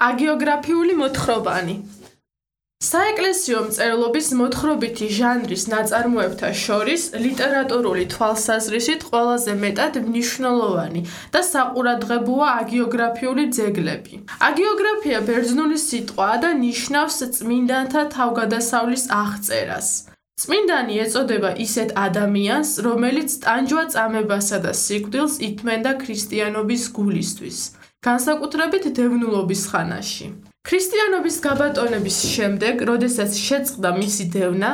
აგიოგრაფიული მოთხრობანი. საეკლესიო მწერლობის მოთხრობითი ჟანრის ნაწარმოებთა შორის ლიტერატურული თვალსაზრისით ყველაზე მეტად მნიშვნელოვანი და საყურადღებოა აგიოგრაფიული ძეგლები. აგიოგრაფია ბერძნული სიტყვაა და ნიშნავს წმინდანთა თავგადასავლის აღწერას. წმინდანი ეწოდება ისეთ ადამიანს, რომელიც ტანჯვა-წამებასა და სიკვდილს ითმენდა ქრისტიანობის გულისთვის, განსაკუთრებით დევნულობის ხანაში. ქრისტიანობის გაბატონების შემდეგ, როდესაც შეწყდა მისი დევნა,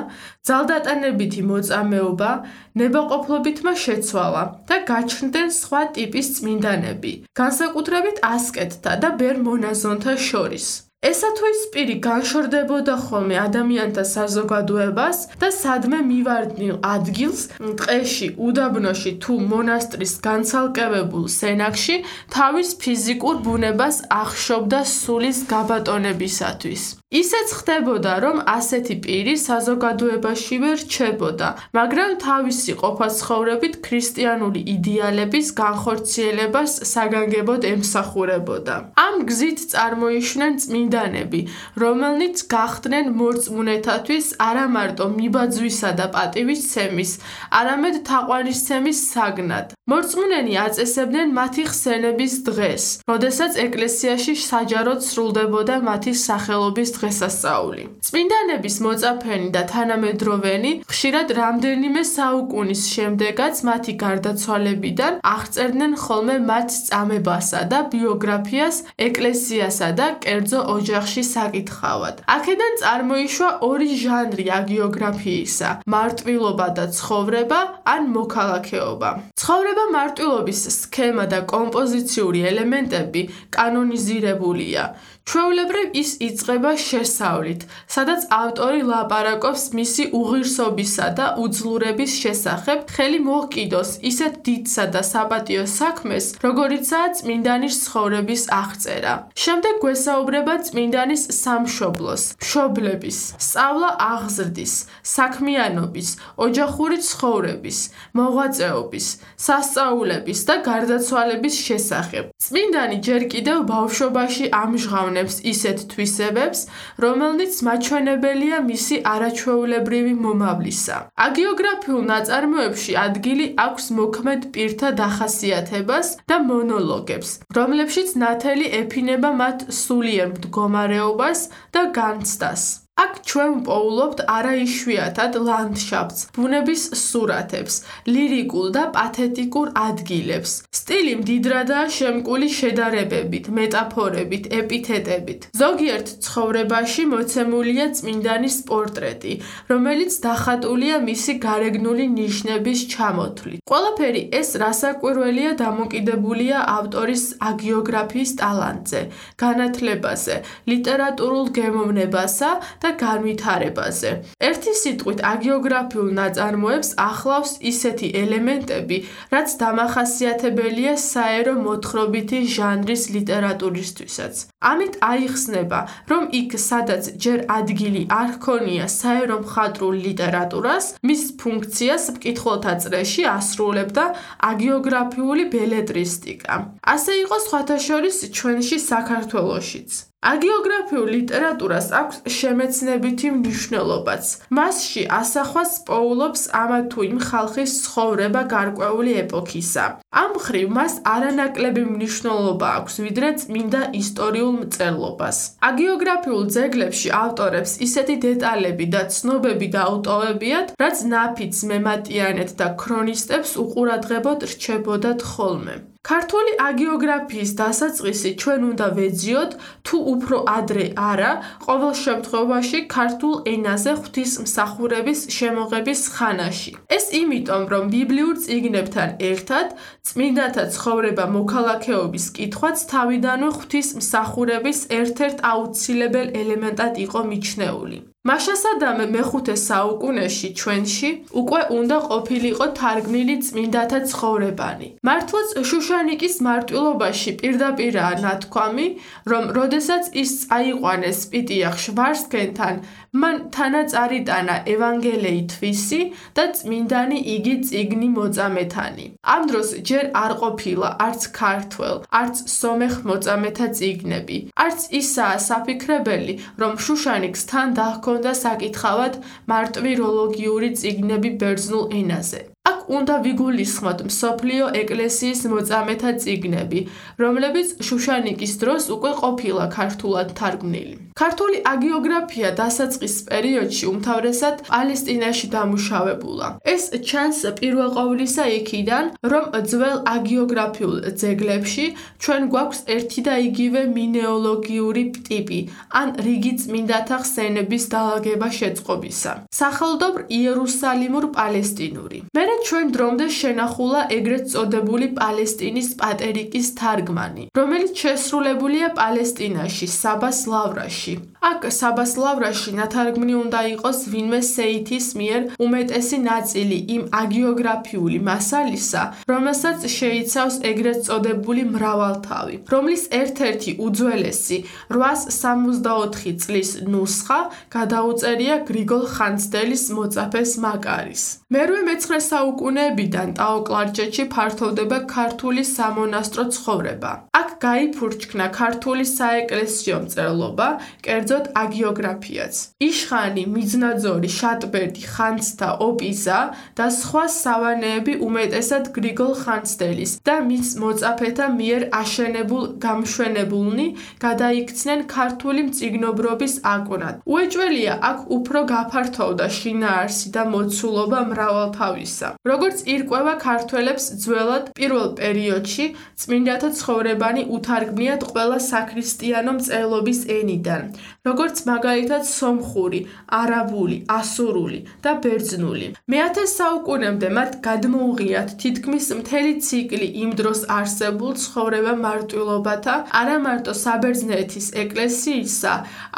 ძალდატანებითი მოწამეობა ნებაყოფლობითმა შეცვალა და გაჩნდნენ სხვა ტიპის წმინდანები, განსაკუთრებით ასკეტთა და ბერ მონაზონთა შორის. ესა თუ ის პირი განშორდებოდა ხოლმე ადამიანთა საზოგადოებას და სადმე მივარდნილ ადგილს, ტყეში, უდაბნოში თუ მონასტრის განცალკევებულ სენაკში თავის ფიზიკურ ბუნებას ახშობდა სულის გაბატონებისათვის. ისეც ხდებოდა, რომ ასეთი პირი საზოგადოებაშივე რჩებოდა, მაგრამ თავისი ყოფა-ცხოვრებით ქრისტიანული იდეალების განხორციელებას საგანგებოდ ემსახურებოდა. ამ გზით წარმოიშვნენ წმინდანები, რომელნიც გახდნენ მორწმუნეთათვის არა მარტო მიბაძვისა და პატივისცემის, არამედ თაყვანისცემის საგნად. მორწმუნენი აწესებდნენ მათი ხსენების დღეს, როდესაც ეკლესიაში საჯაროდ სრულდებოდა მათი სახელობის დღესასწაული. წმინდანების მოწაფენი და თანამედროვენი ხშირად რამდენიმე საუკუნის შემდეგაც მათი გარდაცვალებიდან აღწერდნენ ხოლმე მათ წამებასა და ბიოგრაფიას ეკლესიასა და კერძო ოჯახში საკითხავად. აქედან წარმოიშვა ორი ჟანრი აგიოგრაფიისა: მარტვილობა და ცხოვრება ან მოქალაქეობა. ცხოვრება მარტვილობის სქემა და კომპოზიციური ელემენტები კანონიზირებულია. ჩვეულებრივ ის იწყება შესავლით, სადაც ავტორი ლაპარაკობს მისი უღირსობისა და უძლურების შესახებ, ხელი მოჰკიდოს ისეთ დიდსა და საპატიო საქმეს, როგორიცაა წმინდანის ცხოვრების აღწერა. შემდეგ გვესაუბრება წმინდანის სამშობლოს, მშობლების, სწავლა-აღზრდის, საქმიანობის, ოჯახური ცხოვრების, მოღვაწეობის, სასწაულების და გარდაცვალების შესახებ. წმინდანი ჯერ კიდევ ბავშვობაში ამჟღავნებს ისეთ თვისებებს, რომელნიც მაჩვენებელია მისი არაჩვეულებრივი მომავლისა. აგიოგრაფიულ ნაწარმოებში ადგილი აქვს მოქმედ პირთა დახასიათებას და მონოლოგებს, რომლებშიც ნათელი ეფინება მათ სულიერ მდგომარეობას და განცდას. აქ ჩვენ ვპოულობთ არაიშვიათად ლანდშაფტს, ბუნების სურათებს, ლირიკულ და პათეტიკურ ადგილებს. სტილი მდიდრადაა შემკული შედარებებით, მეტაფორებით, ეპითეტებით. ზოგიერთ ცხოვრებაში მოცემულია წმინდანის პორტრეტი, რომელიც დახატულია მისი გარეგნული ნიშნების ჩამოთვლით. ყველაფერი ეს რასაკვირველია დამოკიდებულია ავტორის აგიოგრაფიის ტალანტზე, განათლებაზე, ლიტერატურულ გემოვნებასა და განვითარებაზე. ერთი სიტყვით აგიოგრაფიულ ნაწარმოებს ახლავს ისეთი ელემენტები, რაც დამახასიათებელია საერო მოთხრობითი ჟანრის ლიტერატურისთვისაც. ამით აიხსნება, რომ იქ, სადაც ჯერ ადგილი არ ჰქონია საერო მხატვრულ ლიტერატურას, მის ფუნქციას მკითხველთა წრეში ასრულებდა აგიოგრაფიული ბელებრისტიკა. ასე იყო სხვათა შორის ჩვენში საქართველოშიც. აგიოგრაფიულ ლიტერატურას აქვს შემეცნებითი მნიშვნელობაც. მასში ასახვას პოულობს ამა თუ იმ ხალხის ცხოვრება გარკვეული ეპოქისა. ამ მხრივ მას არანაკლები მნიშვნელობა აქვს, ვიდრე წმინდა ისტორიულ მწერლობას. აგიოგრაფიულ ძეგლებში ავტორებს ისეთი დეტალები და ცნობები დაუტოვებიათ, რაც ნაფიც მემატიანედ და ქრონისტებს უყურადღებოდ რჩებოდათ ხოლმე. ქართული აგიოგრაფიის დასაწყისი ჩვენ უნდა ვეძიოთ, თუ უფრო ადრე არა, ყოველ შემთხვევაში ქართულ ენაზე ღვთისმსახურების შემოღების ხანაში. ეს იმიტომ, რომ ბიბლიურ წიგნებთან ერთად წმინდათა ცხოვრება მოქალაქეობის კითხვაც თავიდანვე ღვთისმსახურების ერთ-ერთ აუცილებელ ელემენტად იყო მიჩნეული. მაშასადამე მეხუთე საუკუნეში ჩვენში უკვე უნდა ყოფილიყო თარგმნილი წმინდათა ცხოვრებანი. მართლაც შუშანიკის მარტვილობაში პირდაპირაა ნათქვამი, რომ როდესაც ის წაიყვანეს სპიტიახ შვარცქენთან, მან თანაწარიტანა ევანგელიი თვისი და წმინდანი იგი წიგნი მოწამეთანი. ამ დროს ჯერ არ ყოფილა არც ქართველ, არც სომეხ მოწამეთა წიგნები. არც ისაა საფიქრებელი, რომ შუშანიკს თან დაჰქონდა საკითხავად მარტვიროლოგიური წიგნები ბერძნულ ენაზე. აქ უნდა ვიგულისხმოთ მსოფლიო ეკლესიის მოწამეთა წიგნები, რომლებიც შუშანიკის დროს უკვე ყოფილა ქართულად თარგმნილი. ქართული აგიოგრაფია დასაწყის პერიოდში უმთავრესად პალესტინაში დამუშავებულა. ეს ჩანს პირველ ყოვლისა იქიდან, რომ ძველ აგიოგრაფიულ ძეგლებში ჩვენ გვაქვს ერთი და იგივე მინეოლოგიური ტიპი, ან რიგი წმინდათა ხსენების დალაგება შეწყობისა. სახელდობრ იერუსალიმურ პალესტინური. მერე ჩვენ დრომდე შენახულა ეგრეთ წოდებული პალესტინის პატერიკის თარგმანი, რომელიც შესრულებულია პალესტინაში, საბას ლავრაში. აქ საბას ლავრაში ნათარგმნი უნდა იყოს ვინმე სეითის მიერ უმეტესი ნაწილი იმ აგიოგრაფიული მასალისა, რომელსაც შეიცავს ეგრეთ წოდებული მრავალთავი, რომლის ერთ-ერთი უძველესი 864 წლის ნუსხა გადაუწერია გრიგოლ ხანძთელის მოწაფეს მაკარის. მერვე-მეცხრე საუკუნეებიდან ტაო-კლარჯეთში ფართოვდება ქართული სამონასტრო ცხოვრება. აქ გაიფურჩქნა ქართული საეკლესიო მწერლობა, კერძოდ აგიოგრაფიაც. იშხანი, მიზნაძორი, შატბერდი, ხანძთა, ოპიზა და სხვა სავანეები უმეტესად გრიგოლ ხანძთელის და მის მოწაფეთა მიერ აშენებულ გამშვენებულნი გადაიქცნენ ქართული მწიგნობრობის აკვნად. უეჭველია აქ უფრო გაფართოვდა შინაარსი და მოცულობა მრავალთავისა. როგორც ირკვევა ქართველებს ძველად პირველ პერიოდში წმინდათა ცხოვრებანი უთარგმნიათ ყველა საქრისტიანო მწერლობის ენიდან, როგორც მაგალითად სომხური, არაბული, ასურული და ბერძნული. მე-10 საუკუნემდე მათ გადმოუღიათ თითქმის მთელი ციკლი იმ დროს არსებულ ცხოვრება მარტვილობათა, არა მარტო საბერძნეთის ეკლესიისა,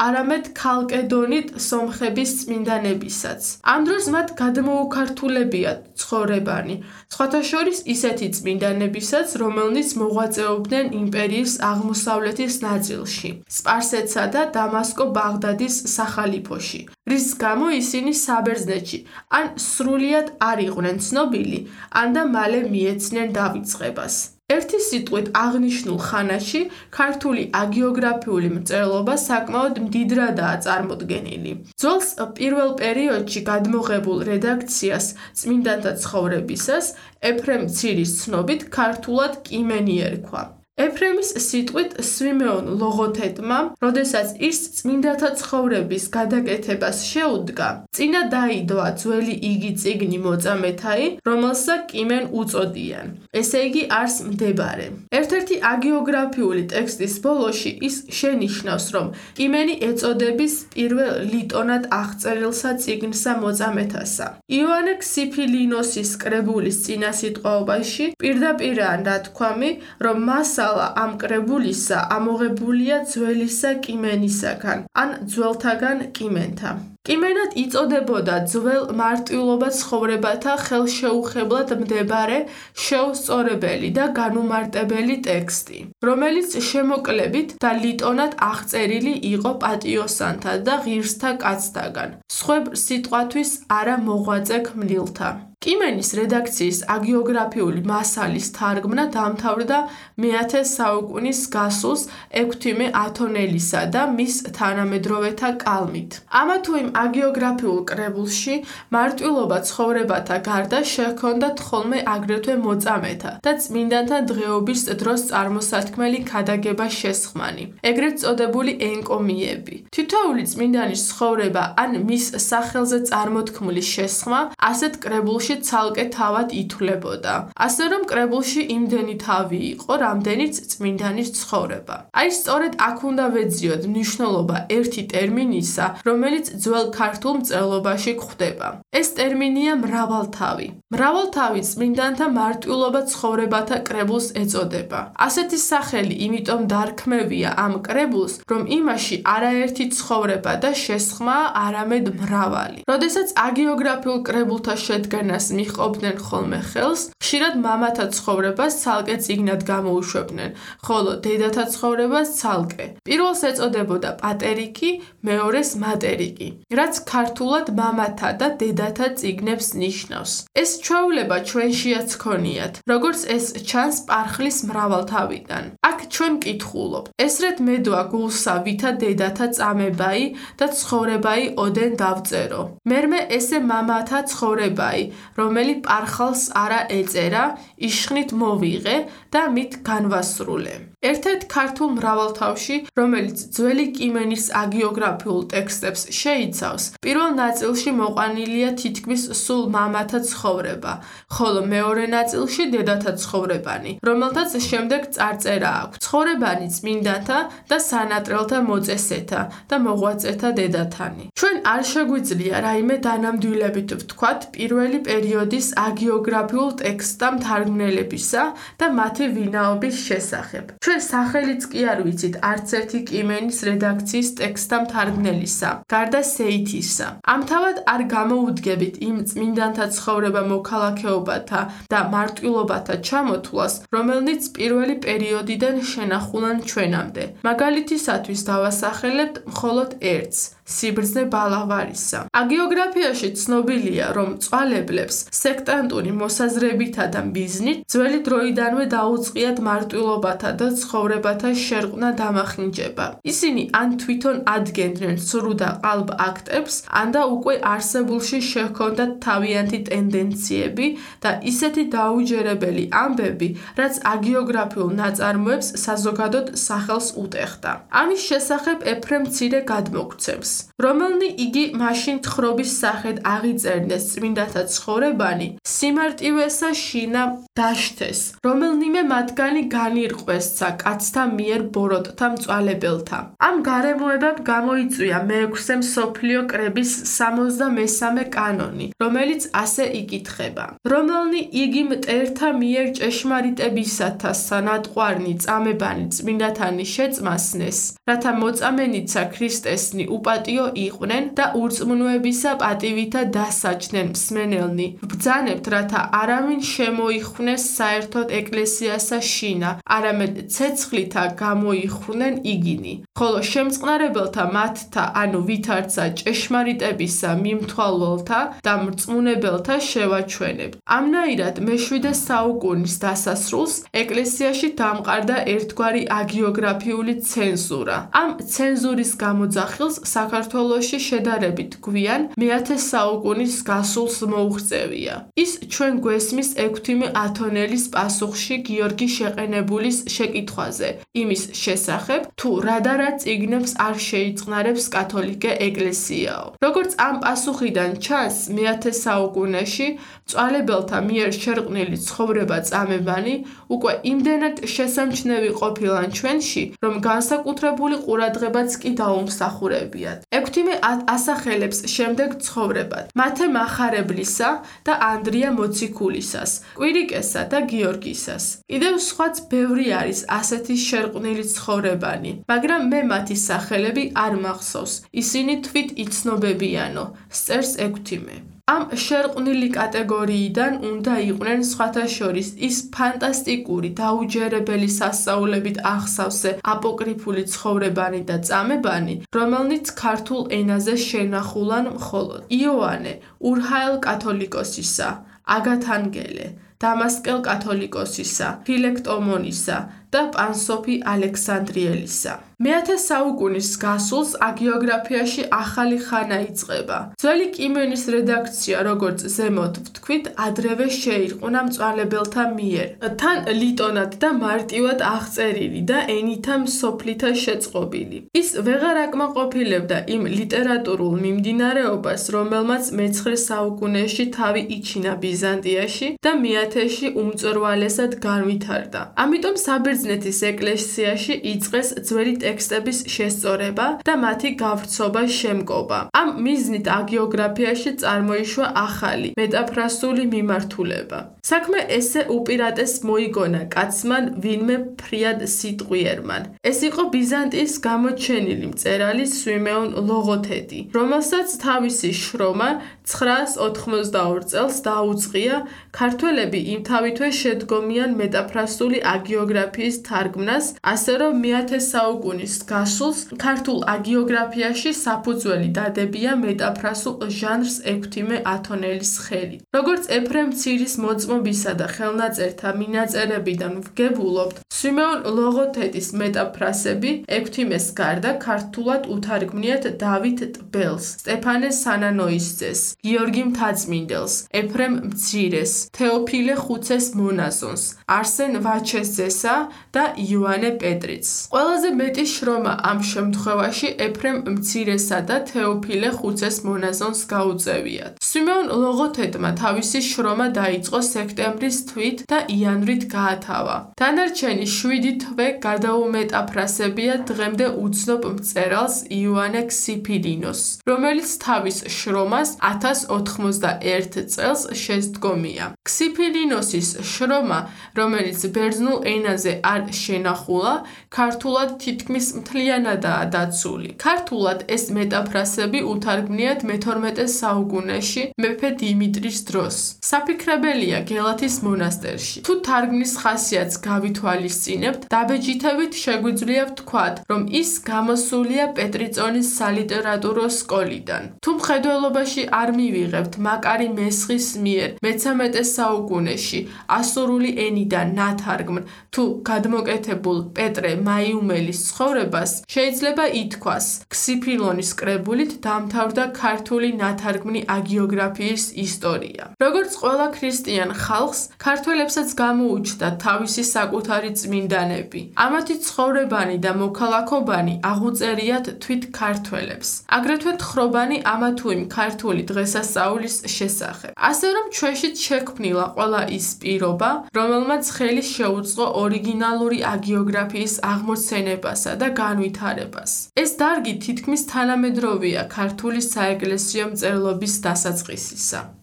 არამედ ქალკედონით სომხების წმინდანებისაც. ამ დროს მათ გადმოუქართულებიათ ცხოვრებანი, სხვათა შორის ისეთი წმინდანებისაც, რომელნიც მოღვაწეობდნენ იმპერიის აღმოსავლეთის ნაწილში, სპარსეთსა და დამასკო-ბაღდადის სახალიფოში, რის გამო ისინი საბერძნეთში ან სრულიად არ იყვნენ ცნობილი, ან და მალე მიეცნენ დავიწყებას. ერთი სიტყვით აღნიშნულ ხანაში ქართული აგიოგრაფიული მწერლობა საკმაოდ მდიდრადაა წარმოდგენილი. ძველს პირველ პერიოდში გადმოღებულ რედაქციას წმინდანთა ცხოვრებისას ეფრემ ცირის ცნობით ქართულად კიმენი ერქვა. ეფრემის სიტყვით სვიმეონ ლოღოთეტმა, როდესაც ის წმინდათა ცხოვრების გადაკეთებას შეუდგა, წინა დაიდოა ძველი იგი წიგნი მოწამეთაი, რომელსაც კიმენ უწოდიან. ესე იგი არს მდებარე. ერთ-ერთი აგიოგრაფიული ტექსტის ბოლოში ის შენიშნავს, რომ კიმენი ეწოდების პირველ ლიტონად აღწერილსა წიგნსა მოწამეთასა. იოანე ქსიფილინოსის კრებულის წინასიტყვაობაში პირდაპირაა ნათქვამი, რომ მასალა ამ კრებულისა ამოღებულია ძველისა კიმენისაგან, ან ძველთაგან კიმენთა. კიმენად იწოდებოდა ძველ მარტვილობა ცხოვრებათა ხელშეუხებლად მდებარე, შეუსწორებელი და განუმარტებელი ტექსტი, რომელიც შემოკლებით და ლიტონად აღწერილი იყო პატიოსანთა და ღირსთა კაცთაგან, სხვებ სიტყვათვის არა მოღვაწე ქმნილთა. კიმენის რედაქციის აგიოგრაფიული მასალის თარგმნა დამთავრდა მე-10 საუკუნის გასულს ექვთიმე ათონელისა და მის თანამედროვეთა კალმით. ამა თუ იმ აგიოგრაფიულ კრებულში მარტვილობა ცხოვრებათა გარდა შეჰქონდათ ხოლმე აგრეთვე მოწამეთა და წმინდანთა დღეობის დროს წარმოსათქმელი ქადაგება შესხმანი, ეგრეთ წოდებული ენკომიები. თითოეული წმინდანის ცხოვრება ან მის სახელზე წარმოთქმული შესხმა ასეთ კრებულში ცალკე თავად ითვლებოდა. ასე რომ კრებულში იმდენი თავი იყო, რამდენიც წმინდანის ცხოვრება. აი სწორედ აქ უნდა ვეძიოთ მნიშვნელობა ერთი ტერმინისა, რომელიც ძველ ყოველ ქართულ მწერლობაში გვხვდება. ეს ტერმინია მრავალთავი. მრავალთავი წმინდანთა მარტვილობა ცხოვრებათა კრებულს ეწოდება. ასეთი სახელი იმიტომ დარქმევია ამ კრებულს, რომ იმაში არაერთი ცხოვრება და შესხმაა, არამედ მრავალი. როდესაც აგიოგრაფიულ კრებულთა შედგენას მიჰყოფდნენ ხოლმე ხელს, ხშირად მამათა ცხოვრებას ცალკე წიგნად გამოუშვებდნენ, ხოლო დედათა ცხოვრებას ცალკე. პირველს ეწოდებოდა პატერიკი, მეორეს მატერიკი, რაც ქართულად მამათა და დედათა წიგნებს ნიშნავს. ეს ჩვეულება ჩვენშიაც ჰქონიათ, როგორც ეს ჩანს პარხლის მრავალთავიდან. აქ ჩვენ კითხულობთ, ესრეთ მედოა გულსა ვითა დედათა წამებაი და ცხოვრებაი ოდენ დავწერო. მერმე ესე მამათა ცხოვრებაი, რომელი პარხალს არა ეწერა, იშხნით მოვიღე და მით განვასრულე. ერთ-ერთ ქართულ მრავალთავში, რომელიც ძველი კიმენის აგიოგრაფიულ ტექსტებს შეიცავს, პირველ ნაწილში მოყვანილია თითქმის სულ მამათა ცხოვრება, ხოლო მეორე ნაწილში დედათა ცხოვრებანი, რომელთაც შემდეგ წარწერა აქვს ცხოვრებანი წმინდანთა და სანატრელთა მოწესეთა და მოღვაწეთა დედათანი. ჩვენ არ შეგვიძლია რაიმე დანამდვილებით ვთქვათ პირველი პერიოდის აგიოგრაფიულ ტექსტთა მთარგმნელებისა და მათი ვინაობის შესახებ. ჩვენ სახელიც კი არ ვიცით არც ერთი კიმენის რედაქციის ტექსტთა მთარგმნელისა, გარდა სეითისა. ამთავად არ გამოუდგებით იმ წმინდანთა ცხოვრება მოქალაქეობათა და მარტვილობათა ჩამოთვლას, რომელნიც პირველი პერიოდიდან შენახულან ჩვენამდე. მაგალითისათვის დავასახელებთ მხოლოდ ერთს. სიბრძნე ბალავარისა. აგიოგრაფიაში ცნობილია, რომ მწვალებლებს სექტანტური მოსაზრებითა და მიზნით ძველი დროიდანვე დაუწყიათ მარტვილობათა და ცხოვრებათა შერყნა დამახინჯება. ისინი ან თვითონ ადგენდნენ სრულ და ყალბ აქტებს, ან და უკვე არსებულში შეჰქონდათ თავიანთი ტენდენციები და ისეთი დაუჯერებელი ამბები, რაც აგიოგრაფიულ ნაწარმოებს საზოგადოდ სახელს უტეხდა. ამის შესახებ ეფრემ მცირე გადმოგცემს. რომელნი იგი მაშინ თხრობის სახედ აღიწერდეს წმინდათა ცხოვრებანი, სიმარტივესა შინა დაშთეს, რომელნიმე მათგანი განირყვესცა კაცთა მიერ ბოროტთა მწვალებელთა. ამ გარემოებამ გამოიწვია მეექვსე მსოფლიო კრების 63 კანონი, რომელიც ასე იკითხება. რომელნი იგი მტერთა მიერ ჭეშმარიტებისათა სანატყვარნი წამებანი წმინდათანი შეწმასნეს, რათა მოწამენიცა ქრისტესნი უპატიო იყვნენ და ურწმუნოებისა პატივითა დასაჯდნენ მსმენელნი. ბრძანებთ, რათა არავინ შემოიხვნეს საერთოდ ეკლესიასა შინა, არამედ ცეცხლითა გამოიხვნენ იგინი. ხოლო შემწყნარებელთა მათთა, ანუ ვითარცა ჭეშმარიტებისა მიმთვალველთა და მრწმუნებელთა შევაჩვენებთ. ამნაირად მე-7 საუკუნის დასასრულს ეკლესიაში დამყარდა ერთგვარი აგიოგრაფიული ცენზურა. ამ ცენზურის გამოძახილს საქართველოში შედარებით გვიან მე-10 საუკუნის გასულს მოუღწევია. ის ჩვენ გვესმის ექვთიმე ათონელის პასუხში გიორგი შეყენებულის შეკითხვაზე, იმის შესახებ, თუ რა და რა წიგნებს არ შეიწყნარებს კათოლიკე ეკლესიაო. როგორც ამ პასუხიდან ჩანს, მე-10 საუკუნეში მწვალებელთა მიერ შერყნილი ცხოვრება წამებანი უკვე იმდენად შესამჩნევი ყოფილან ჩვენში, რომ განსაკუთრებული ყურადღებაც კი დაუმსახურებიათ. ექვთიმე ასახელებს შემდეგ ცხოვრებად მათე მახარებლისა და ანდრია მოციქულისას, კვირიკესა და გიორგისას. კიდევ სხვაც ბევრი არის ასეთი შერყნილი ცხოვრებანი, მაგრამ მე მათი სახელები არ მახსოვს, ისინი თვით იცნობებიანო, სწერს ექვთიმე. ამ შერყნილი კატეგორიიდან უნდა იყვნენ სხვათა შორის ის ფანტასტიკური დაუჯერებელი სასწაულებით ახსავსე აპოკრიფული ცხოვრებანი და წამებანი, რომელნიც ქართულ ენაზე შენახულან მხოლოდ იოანე ურჰაელ კათოლიკოსისა, აგათანგელე, დამასკელ კათოლიკოსისა, ფილექტომონისა და პანსოფი ალექსანდრიელისა. მე-10 საუკუნის გასულს აგიოგრაფიაში ახალი ხანა იწყება. ძველი კიმენის რედაქცია, როგორც ზემოთ ვთქვით, ადრევე შეირყნა მწვალებელთა მიერ. თან ლიტონად და მარტივად აღწერილი და ენითა მსოფლითა შეწყობილი. ის ვეღარ აკმაყოფილებდა იმ ლიტერატურულ მიმდინარეობას, რომელმაც მე-9 საუკუნეში თავი იჩინა ბიზანტიაში და მე-10-ში უმწვერვალესად განვითარდა. ამიტომ საბერძნეთის ეკლესიაში იწყეს ძველი ტექსტების შესწორება და მათი გავრცობა შემკობა. ამ მიზნით აგიოგრაფიაში წარმოიშვა ახალი მეტაფრასული მიმართულება. საქმე ესე უპირატეს მოიგონა კაცმან ვინმე ფრიად სიტყვიერმან. ეს იყო ბიზანტიის გამოჩენილი მწერალი სვიმეონ ლოგოთედი, რომელსაც თავისი შრომა 982 წელს დაუწყია ქართველები იმთავითვე შედგომიან მეტაფრასული აგიოგრაფიის თარგმნას, ასე რომ მე-10 საუკუნის გასულს ქართულ აგიოგრაფიაში საფუძველი დადებია მეტაფრასულ ჟანრს ექვთიმე ათონელის ხელით. როგორც ეფრემ მცირის მოწმობისა და ხელნაწერთა მინაწერებიდან ვგებულობთ, სვიმეონ ლოგოთედის მეტაფრასები ექვთიმეს გარდა ქართულად უთარგმნიათ დავით ტბელს, სტეფანე სანანოისძეს, გიორგი მთაწმინდელს, ეფრემ მცირეს, თეოფილე ხუცეს მონაზონს, არსენ ვაჩესძესა და იოანე პეტრიც. ყველაზე მეტი შრომა ამ შემთხვევაში ეფრემ მცირესა და თეოფილე ხუცეს მონაზონს გაუწევიათ. სვიმეონ ლოგოთედმა თავისი შრომა დაიწყო სექტემბრის თვით და იანვრით გაათავა. დანარჩენი 7 თვე გადაუმეტაფრასებია დღემდე უცნობ მწერალს იოანე ქსიფილინოს, რომელიც თავის შრომას 1091 წელს შესდგომია. ქსიფილინოსის შრომა, რომელიც ბერძნულ ენაზე არ შენახულა, ქართულად თითქმის მთლიანადაა დაცული. ქართულად ეს მეტაფრასები უთარგმნიათ მე-12 საუკუნეში მეფე დიმიტრის დროს. საფიქრებელია გელათის მონასტერში. თუ თარგმნის ხასიათს გავითვალისწინებთ, დაბეჯითებით შეგვიძლია ვთქვათ, რომ ის გამოსულია პეტრიწონის სალიტერატურო სკოლიდან. თუ მხედველობაში არ მივიღებთ მაკარი მესხის მიერ მე-13 საუკუნეში ასურული ენიდან ნათარგმნ თუ გადმოკეთებულ პეტრე მაიუმელის ცხოვრებას, შეიძლება ითქვას, ქსიფილონის კრებულით დამთავრდა ქართული ნათარგმნი აგიოგრაფიის ისტორია. როგორც ყველა ქრისტიან ხალხს, ქართველებსაც გამოუჩნდა თავისი საკუთარი წმინდანები. ამათი ცხოვრებანი და მოქალაქობანი აღუწერიათ თვით ქართველებს. აგრეთვე თხრობანი ამა თუ იმ ქართული დღესასწაულის შესახებ. ასე რომ ჩვენშიც შექმნილა ყველა ის პირობა, რომელმაც ხელი შეუწყო ორიგინალური აგიოგრაფიის აღმოცენებასა და განვითარებას. ეს დარგი თითქმის თანამედროვეა ქართული საეკლესიო მწერლობის დასაწყისისა.